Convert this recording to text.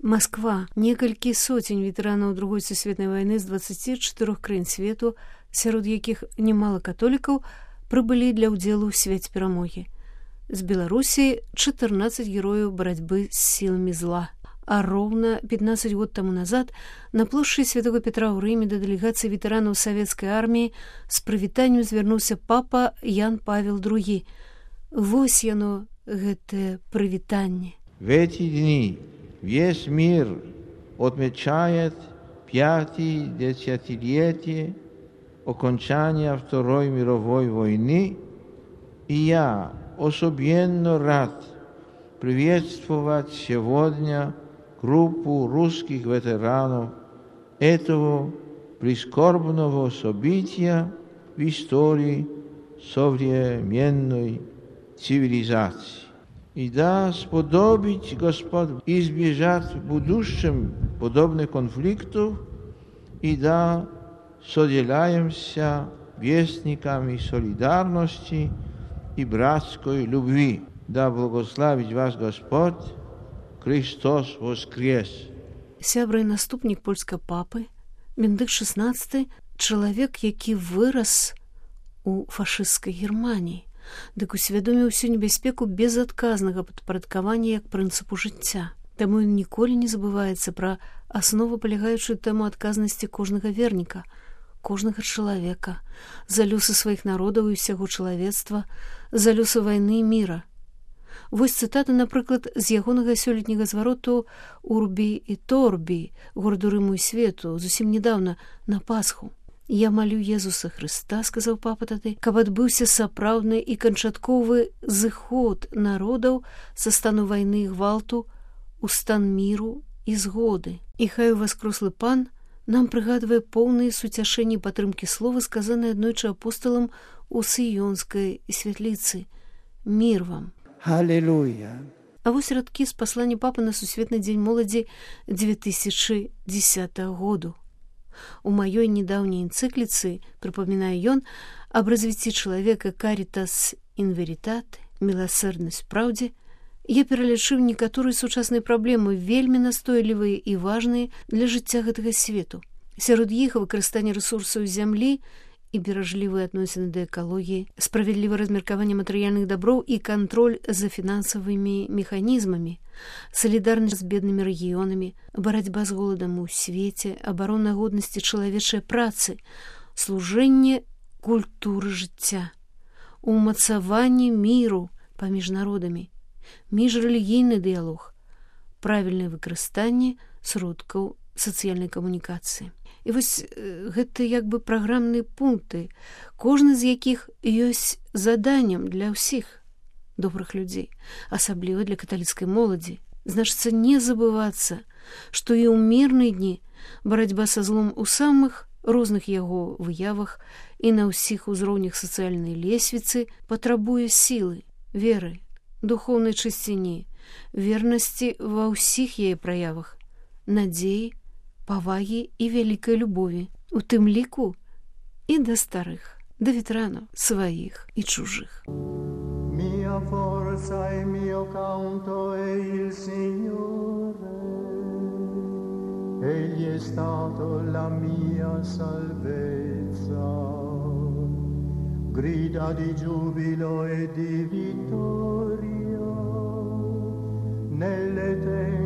Масква. Некалькі сотень ветэранаў Другой сусветнай вайны з 24 краін свету, сярод якіх немало католікаў, прыбылі для ўдзелу ў свяце перамогі. З Беларусі 14 герояў барацьбы з сіламі зла. А роўна 15 год таму назад на плошчы Святого Петра ў Рыме да дэлегацыі ветэранаў савецкай арміі з прывітаннем звярнуўся папа Ян Павел II. Вось яно, гэтае прывітанне. В эти дни весь мир отмечает 50-летие окончания Второй мировой войны, и я особенно рад приветствовать сегодня группу русских ветеранов этого прискорбного события в истории современной цивилизации. И да сподобить Господь избежать в будущем подобных конфликтов, и да соделаемся вестниками солидарности и братской любви. Да благословит вас Господь, Христос воскрес! Сябра і наступнік польскага папы, Бенедыкт XVI, чалавек, які вырас у фашысцкай Германіі, дык усвядоміў усю небяспеку безадказнага падпарадкавання як прынцыпу жыцця. Таму ён ніколі не забываецца пра аснову, палягаючую тэму адказнасці кожнага верніка, кожнага чалавека, за лёсы сваіх народаў і ўсяго чалавецтва, за лёсы вайны і міра. Вось цытата, напрыклад, з ягонага сёлетняга звароту «Урбі і торбі» гораду Рыму і свету, зусім недаўна, на Пасху. «Я малю Езуса Хрыста», сказаў папа тады, «каб адбыўся сапраўдны і канчатковы зыход народаў са стану вайны і гвалту у стан міру і згоды». І хай уваскрослы пан нам прыгадвае поўныя суцяшэнні падтрымкі слова, сказаныя аднойчы апосталам у Сыёнскай святліцы. «Мір вам». Аллилуйя. А вось радкі з паслання папы на Сусветны дзень моладзі 2010 году. У маёй недаўняй энцыкліцы, прыпамінае ён, аб развіцці чалавека «Caritas in veritate», «Міласэрнасць праўдзе», я пералічыў некаторыя сучасныя праблемы, вельмі настойлівыя і важныя для жыцця гэтага свету. Сярод іх выкарыстанне рэсурсаў зямлі і беражлівыя адносіны да экалогіі, справядлівае размеркаванне матэрыяльных даброў і кантроль за фінансавымі механізмамі, салідарнасць з беднымі рэгіёнамі, барацьба з голадам у свеце, абарона годнасці чалавечай працы, служэнне культуры жыцця, умацаванне міру паміж народамі, міжрэлігійны дыялог, правільнае выкарыстанне сродкаў сацыяльнай камунікацыі. І вось гэта як бы праграмныя пункты, кожны з якіх ёсць заданнем для ўсіх добрых людзей, асабліва для каталіцкай моладзі. Значыцца не забывацца, што і ў мірныя дні барацьба са злом у самых розных яго выявах і на ўсіх узроўнях сацыяльнай лесвіцы патрабуе сілы, веры, духоўнай чысціні, вернасці ва ўсіх яе праявах, надзеі, павагі і вялікай любові, у тым ліку і да старых, да ветэранаў сваіх і чужых. Mia forza e mio canto è il Signore, Egli è stato la mia salvezza, grida di giubilo e di vittoria nelle tende